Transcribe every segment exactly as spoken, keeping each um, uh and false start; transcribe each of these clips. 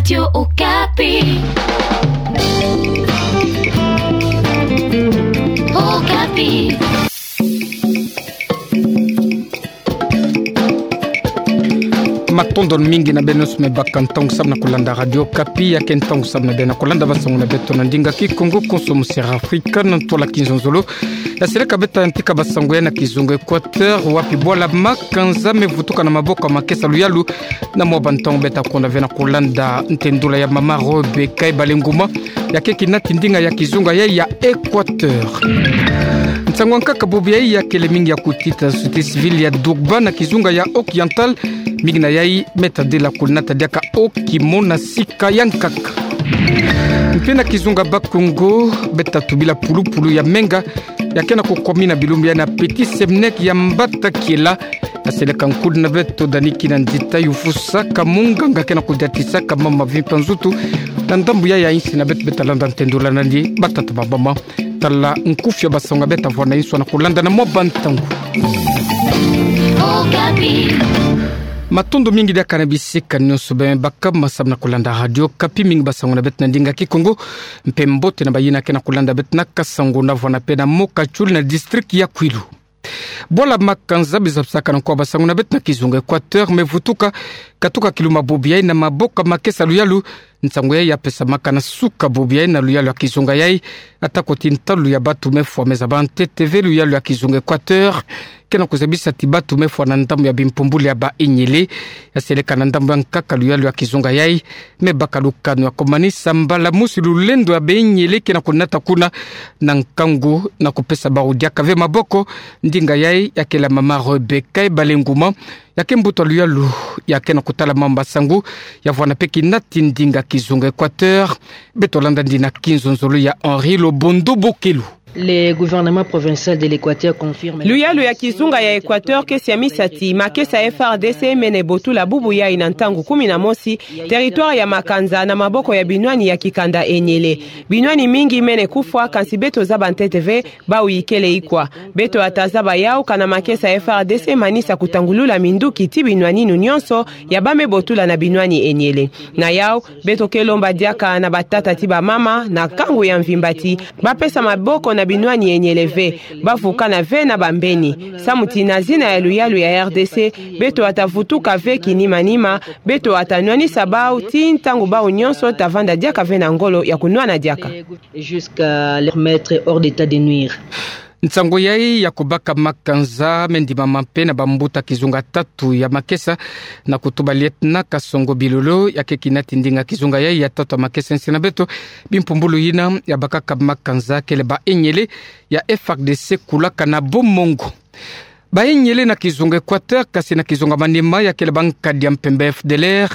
Radio Okapi. Okapi. Matondo mingi na beno nyonso me baka ntangu samu na kulanda Radio Okapi, ya ke ntangu samu na beno kulanda basango na beto na ndinga Kikongo, konso mosera Afrika, na ntwala kinzonzolo. Ya seleka beta yantika basango ya na kizunga Equateur, wapi bwala makanza me vutuka na maboko ya makesa luyalu, na mwa bantangu beta konda ve na kulanda ntendula ya mama Robe Kaebale Nguma, ya ke kinati ndinga ya kizunga ya, ya Equateur. Nsangu ya nkaka bobo yayi ya kele mingi ya kutita société civile ya Durban na kizunga ya Occidental, mingi na yayi me ta dila kunata diaka oki mo na sika ya nkaka. Mpe na kizunga Bakongo, beta tubila pulupulu ya menga, ya ke na kukwami na bilumbu ya na Petit Semnek ya Mbata Kiela, ya seleka nkudu na beto dani kina ndita yufusaka munganga ke na kudiatisaka mama vimpa nzutu, na ndambu ya ya insi na beto beta landa ntendula nani batata ba mama. Tala nkufi ya basango beta vwa na insi na kulanda na mwa bantangu. Okapi. Matondo mingi diaka na bisika nyonso beno me baka ma samu na kulanda Radio Okapi, mingi basango na beto na ndinga Kikongo, mpe mbote na bayina ke na kulanda beto na Kasango na vwa na pe na Mokatchoul na district ya Kouilou. Bwala makanza biza bisaka na nkwa basango na beto na kizunga Equateur me vutuka, katuka kiluma bobo yayi na maboko ya makesa luyalu. Nsangu yayi ya pesamaka na suka bobo yayi na luyalu ya kizunga yayi, atako ti ntalu ya batu me fwa me zaba ntete ve luyalu ya kizunga Equateur, ke na kuzabisa ti batu me fwa na ndambu ya bimpumbulu ya ba enyele, ya seleka na ndambu ya nkaka luyalu ya kizunga yayi, me baka lukanu ya kumanisa mbala mosi lulendo ya ba enyele ke na kunata kuna, na nkangu na kupesa bawu diaka ve maboko. Ndinga yayi ya kele mama Robe Kaebale Nguma, ya ke mbuta luyalu ya ke na kutala mamba sangu, ya vwa na pe kinati ndinga kizunga Equateur. Beto landa ndina kinzonzolo ya Henri Lobondo Bokelu. Le gouvernement provincial de l'Équateur confirme. Luyalu ya kizunga ya Equateur ke siamisa ti makesa F R D C mene botula bubu yayi na ntangu kumi na mosi territoire ya makanza na maboko ya binwani ya kikanda enyele. Binwani mingi mene kufwa, kansi beto zaba ntete ve bawu ikele ikwa. Beto ata zaba yawu kana makesa F R D C manisa kutangulula minduki ti binwaninu nyonso ya ba me botula na binwani enyele. Na yawu, beto ke lomba diaka na batata ti bamama na nkangu ya mvimba ti bapesa maboko na binwani enyele ve, bavukana ve na bambeni. Samu ti na zina ya luyalu ya R D C, beto ata vutuka ve kinimanima, beto ata nwanisa bawu ti ntangu bawu nyonso ta vanda diaka ve na ngolo ya kunwana diaka. Jusqu'à leur mettre hors d'état de nuire. Nsangu yayi ya kubaka makanza me ndimama mpe na bambuta kizunga tatu ya makesa, na kutuba lieutenant Kasongo Bilolo, ya ke kinati ndinga kizunga yayi ya tatu ya makesa. Insi na beto, bimpumbulu yina ya bakaka makanza kele ba enyele ya F R D C kulaka na Bomongo. Ba enyele na kizunga Equateur, kasi na kizunga manima ya kele ba nkadi ya mpemba F D L R,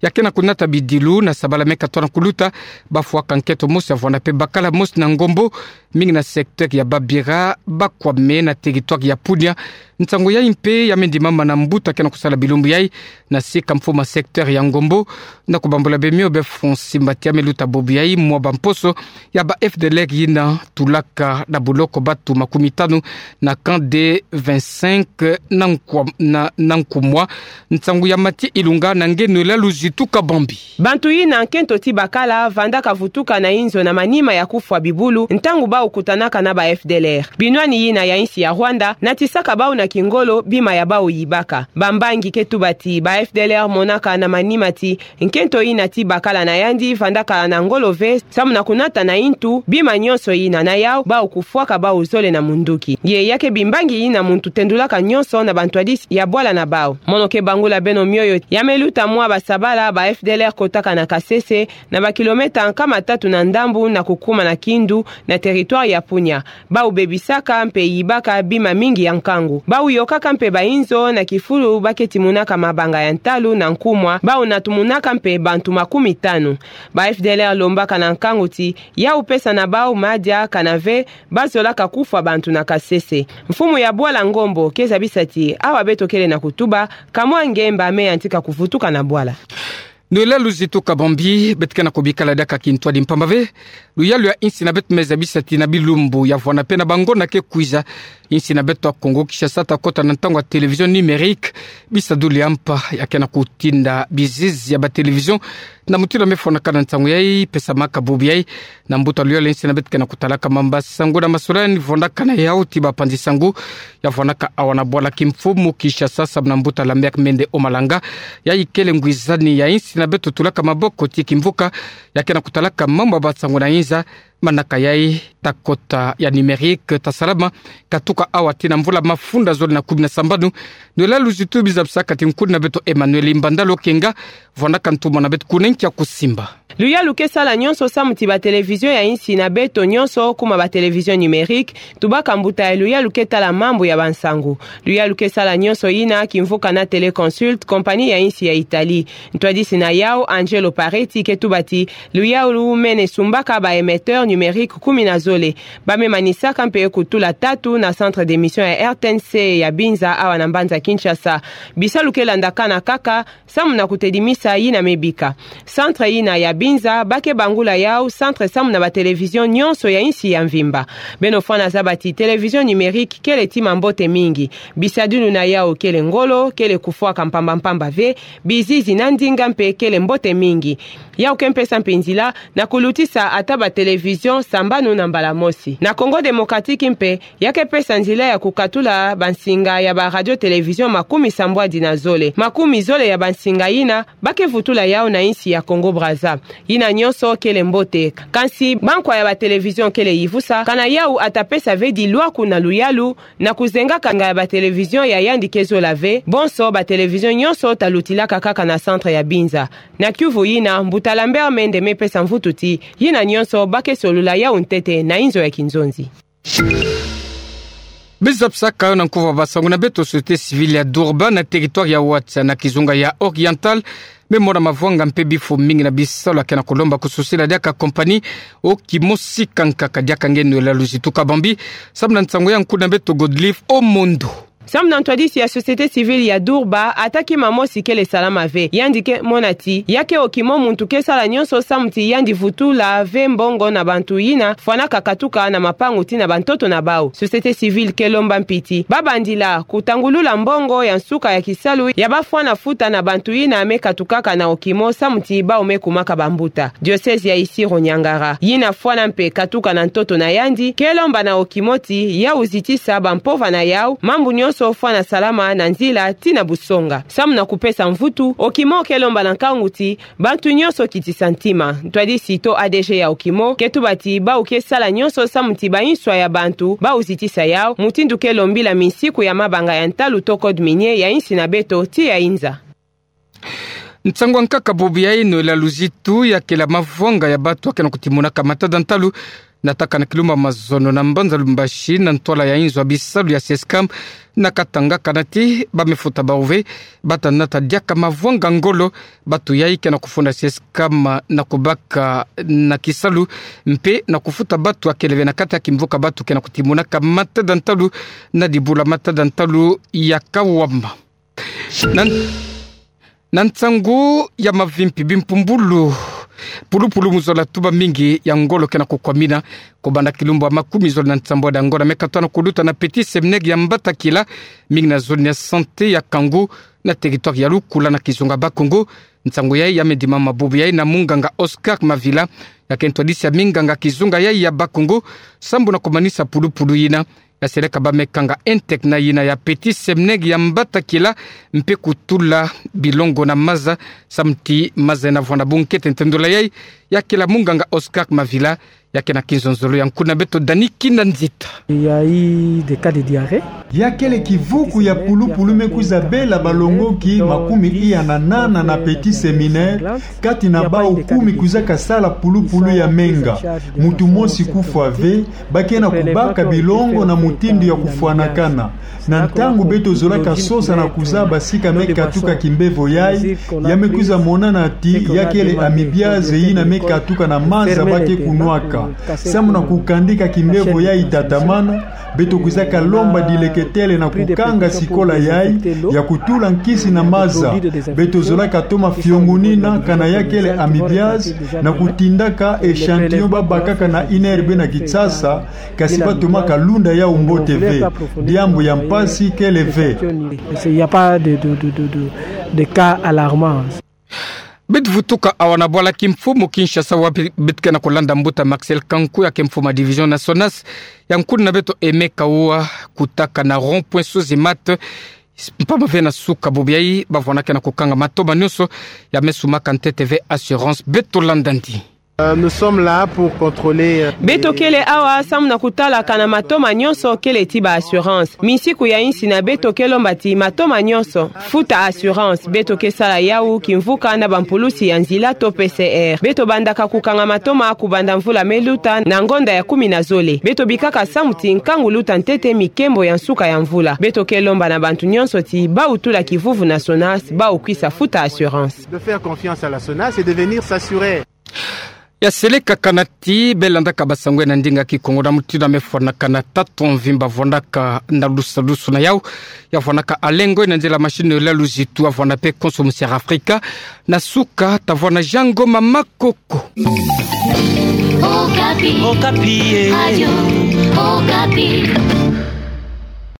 ya ke na kunata bidilu na sabala me katona kuluta, bafwaka nkento mosi ya vwa na pe bakala mosi na Ngombo, mingi na secteur ya Babira, bakwame na territoire ya Punia. Nsangu yayi mpe ya me ndimama na mbuta ke na kusala bilumbu yayi na sika mfumu ya secteur ya Ngombo, na kubambula bemio be Francis Mbati ya me luta bobo yayi mwa bamposo ya ba F D L R yina tulaka na buloko batu makumi tanu na camp de vingt-cinq na Nkwa-, na, na Nkumwa. Nsangu ya Mathieu Ilunga na nge Noëlla Luzitu Kabambi. Bantu yina nkento ti bakala vandaka vutuka na inzo na manima ya kufwa bibulu ntangu bawu kutanaka na ba F D L R. Binwani yina ya insi ya Rwanda natisaka bawu na kingolo bima ya bawu yibaka. Bambangi ke tuba ti ba F D L R monaka na manima ti nkento yina ti bakala na yandi vandaka na ngolo ve, samu na kunata na intu bima nyonso yina, na yawu bawu kufwaka bawu zole na munduki. Ye ya ke bimbangi yina muntu tendulaka nyonso na bantwadisi ya bwala na bawu. Mono ke bangula beno mioyo, ya me luta mwa basabala ba F D L R kotaka na Kasese, na ba kilomètre nkama tatu na ndambu na kukuma na Kindu, na territoire ya Punia. Bawu bebisaka mpe yibaka bima mingi ya nkangu. Bawu yokaka mpe ba inzo na kifulu ba ke timunaka mabanga ya ntalu na Nkumwa. Bawu natumunaka mpe bantu makumi tanu. Ba F D L R lombaka na nkangu ti yawu pesa na bawu madia, kana ve bazolaka kufwa bantu na Kasese. Mfumu ya bwala Ngombo ke zabisa ti awa beto kele na kutuba, ka mwa ngemba me yantika kuvutuka na bwala. Noëlla Luzitu Kabambi. Beto ke na kubikala diaka kintwadi mpamba ve. Luyalu ya insi na beto me zabisa ti na bilumbu ya vwa na pe na bangonda ke kwiza, insi na beto ya Congo Kinshasa ta kota na ntangu ya télévision numérique. Bisadulu ya mpa ya ke na kutinda bizizi ya ba télévision Na mutindu ya mefwanaka na nsangu yai, pesamaka bubu yai na mbuta luyalu ya insi na beto ke na kutalaka mamba sangu na masolani, vwanaka na yau ti bapanzi sangu ya vwanaka awa na bwala kimfumu Kinshasa, samu na mbuta Lambert Mende Omalanga, yai kele ngwizani ya insi na beto tulaka maboko ti kimvuka, ya ke na kutalaka mamba ba sangu na inza, manaka yai ta kota ya numérique ta salama katuka awa ti na mvula mafunda zole na kumi na sambanu. Noela Luzitu, biza bisaka ti nkuni na beto Emmanuel Mbandalo Kenga, vwanaka ntumwa na beto kuna nkia kusimba. Luyalu ke sala nyonso samu ti ba télévision ya insi na beto nyonso kuma ba télévision numérique, tubaka mbuta ya luyalu ke tala mambu ya bansangu. Luyalu ke sala nyonso yina kimvuka na Téléconsult, compagnie ya insi ya Italie. Ntwadisi na yau, Angelo Pareti, ke tuba ti luyalu mene sumbaka ba émetteur numérique kumi na zole. Ba me manisaka mpe kutula tatu na centre d'émission ya R T N C ya Binza awa na mbanza Kinshasa. Bisalu ke landakana kaka samu na kutedimisa yina me bika. Centre yina ya Binza, ba ke bangula yau centre samu na ba télévision nyonso ya insi ya mvimba. Beno fwana zaba ti télévision numérique kele ti mambote mingi. Bisadulu na yau kele ngolo, kele kufwaka mpamba mpamba ve, bizizi na ndinga mpe kele mbote mingi. Yau ke mpesa mpe nzila na kulutisa ata ba télévision sambanu na mbala mosi. Na Congo Démocratique mpe, ya ke pesa nzila ya kukatula bansinga ya ba radio télévision makumi sambwadi na zole. Makumi zole ya bansinga yina, ba ke vutula yau na insi ya Congo Brazza. Yina nyonso kele mbote. Kansi bankwa ya ba télévision kele yivusa, kana yau ata pesa ve dilwaku na luyalu, na kuzenga kanga ya ba télévision ya yandi ke zola ve, bonso ba télévision nyonso ta lutilaka kaka na centre ya Binza. Na kiuvu yina, mbuta Lambert Mende me pesa mvutu ti yina nyonso ba ke solula yau ntete na inzo ya kinzonzi. Biza bisaka yo na nkuva ba sangu na beto, société civile ya Durban na territoire ya Ouadsa na kizunga ya Oriental, me mona mavwanga mpe bifo mingi na bisalu ya ke na kulomba kususila diaka compagnie Okimo sika nkaka. Diaka nge Noela Luzitu Kabambi, samu na nsangu ya nkuni na beto Godlive Omondo. Samu na ntwadisi ya société civile ya Durban, ata kima mosi kele salama ve. Yandi ke mona ti ya ke Okimo muntu ke sala nyonso samu ti yandi vutula ve mbongo na bantu yina fwanaka katuka na mapangu ti na bantoto na bau. Société civile ke lomba mpi ti ba bandila kutangulula mbongo ya nsuka ya kisalu ya ba fwana futa na bantu yina me katukaka na Okimo samu ti bau me kumaka bambuta. Diocèse ya Isiro-Niangara, yina fwana mpe katuka na ntoto na yandi, ke lomba na Okimo ti yau zitisa bampova na yau, mambu nyonso fwana salama na nzila ti na busonga. Samu na kupesa mvutu, Okimo ke lomba na nkangu ti bantu nyonso kitisa ntima. Ntwadisi to A D G ya Okimo ke tuba ti bau ke sala nyonso samu ti bainswa ya bantu bau zitisa yau, mutindu ke lombila minsiku ya mabanga ya ntalu to code minier ya insi na beto ti ya inza. Nsangu ya nkaka bubu yai, Noela Luzitu, ya kela mavwanga ya batu ya ke na kutimunaka matada ntalu na takana kilumbu ya mazono na mbanza Lubumbashi, na ntwala ya inzo ya bisalu ya SESCAM na Katanga, kana ti ba me futa bau ve, bata nata diaka mavwanga ngolo. Batu yai ke na kufunda SESCAM na kubaka na kisalu mpe na kufuta batu ya kele ve na kati ya kimvuka batu ke na kutimunaka matada ntalu na dibula matada ntalu ya kawama. Na, na nsangu ya mavimpi, bimpumbulu pulupulu mu zola tuba mingi ya ngolo ke na kukwamina. Kubanda kilumbu ya makumi zole na nsambwadi ya ngolo me katoa na kuluta na Petit Seminaire ya Mbatakila, mingi na zone ya santé ya Kangu, na territoire ya Lukula na kizunga Bakongo. Nsangu yai ya me dimama bubu yai na munganga Oscar Mavila, ya ke ntwadisi ya minganga kizunga yai ya Bakongo, sambu na kumanisa pulupulu yina ya seleka ba me kanga internat yina ya Petit Seminaire ya Mbatakila, mpe kutula bilongo na maza, samu ti maza yena vwanda. Bunkete ntendola yai ya kela munganga Oscar Mavila, ya ke na kinzonzolo ya nkuna beto Dani Kina Nzita. Il y a eu des cas de diarrhée. Ya kele kivuku ya pulupulu me kwiza bela balongoki makumi iya na nana na Petit Seminaire, kati na bau kumi kwizaka sala pulupulu ya menga. Mutu mosi kufwa ve, ba ke na kubaka bilongo na mutindu ya kufwanakana. Na ntangu beto zolaka sosa na kuzaba sika me katuka kimbevo yai, ya me kwiza monana ti ya kele amibiaze yina me katuka na maza ba ke kunwaka. Samu na kukandika kimbevo yai tatamana, beto kwizaka lomba dileketele na kukanga sikola yai ya kutula nkisi na maza. Beto zolaka toma fiongonina kana ya kele amibiaze na kutindaka échantillon ba bakaka na INRB na Kinshasa, kasi ba tomaka lunda yau mbote ve. Diambu ya mpasi kele ve. Il y a pas de, de, de, de, de, de cas alarmants. Beto vutuka awa na bwala kimfumu Kinshasa wa bi-, beto ke na kulanda mbuta Marcel Kanku, ya ke mfumu a division na SONAS, ya nkuna beto Aimé Kawa, kutaka na rond-point Sozemate, mpamba ve na suka bobiai, bavwanda ke na kukanga matoma nionso ya me sumaka ntete ve assurance. Beto landa ndi. Euh, nous sommes là pour contrôler, euh, Beto kele awa samu na kutalaka na matoma nionso kele ti ba assurance. Misiku ya insina beto ke lomba ti matoma nionso futa assurance. Beto ke sala yawu kimvuka na bampulusi ya nzila to P C R. Beto bandaka kukanga matoma kubanda mvula me luta na ngonda ya kumi na zole. Beto bikaka samu ti nkangu luta ntete mi kembo ya nsuka ya mvula. Beto ke lomba na bantu nionso ti bawutula kivuvu na SONAS, bawukwisa futa assurance. De faire confiance à la SONAS et de venir s'assurer. Ya seleka kana ti, belandaka basango na ndinga Kikongo na mutindu ya me fwanaka na tatu mvimba, vwandaka na lusalusu na yawu, ya vwandaka Alengo na nzila machine la luzitu, ya vwanda pe konso mu Sierra Africa, na suka ta vwanda Jango Mamakoko. Okapi. Okapi, eh. Radio Okapi.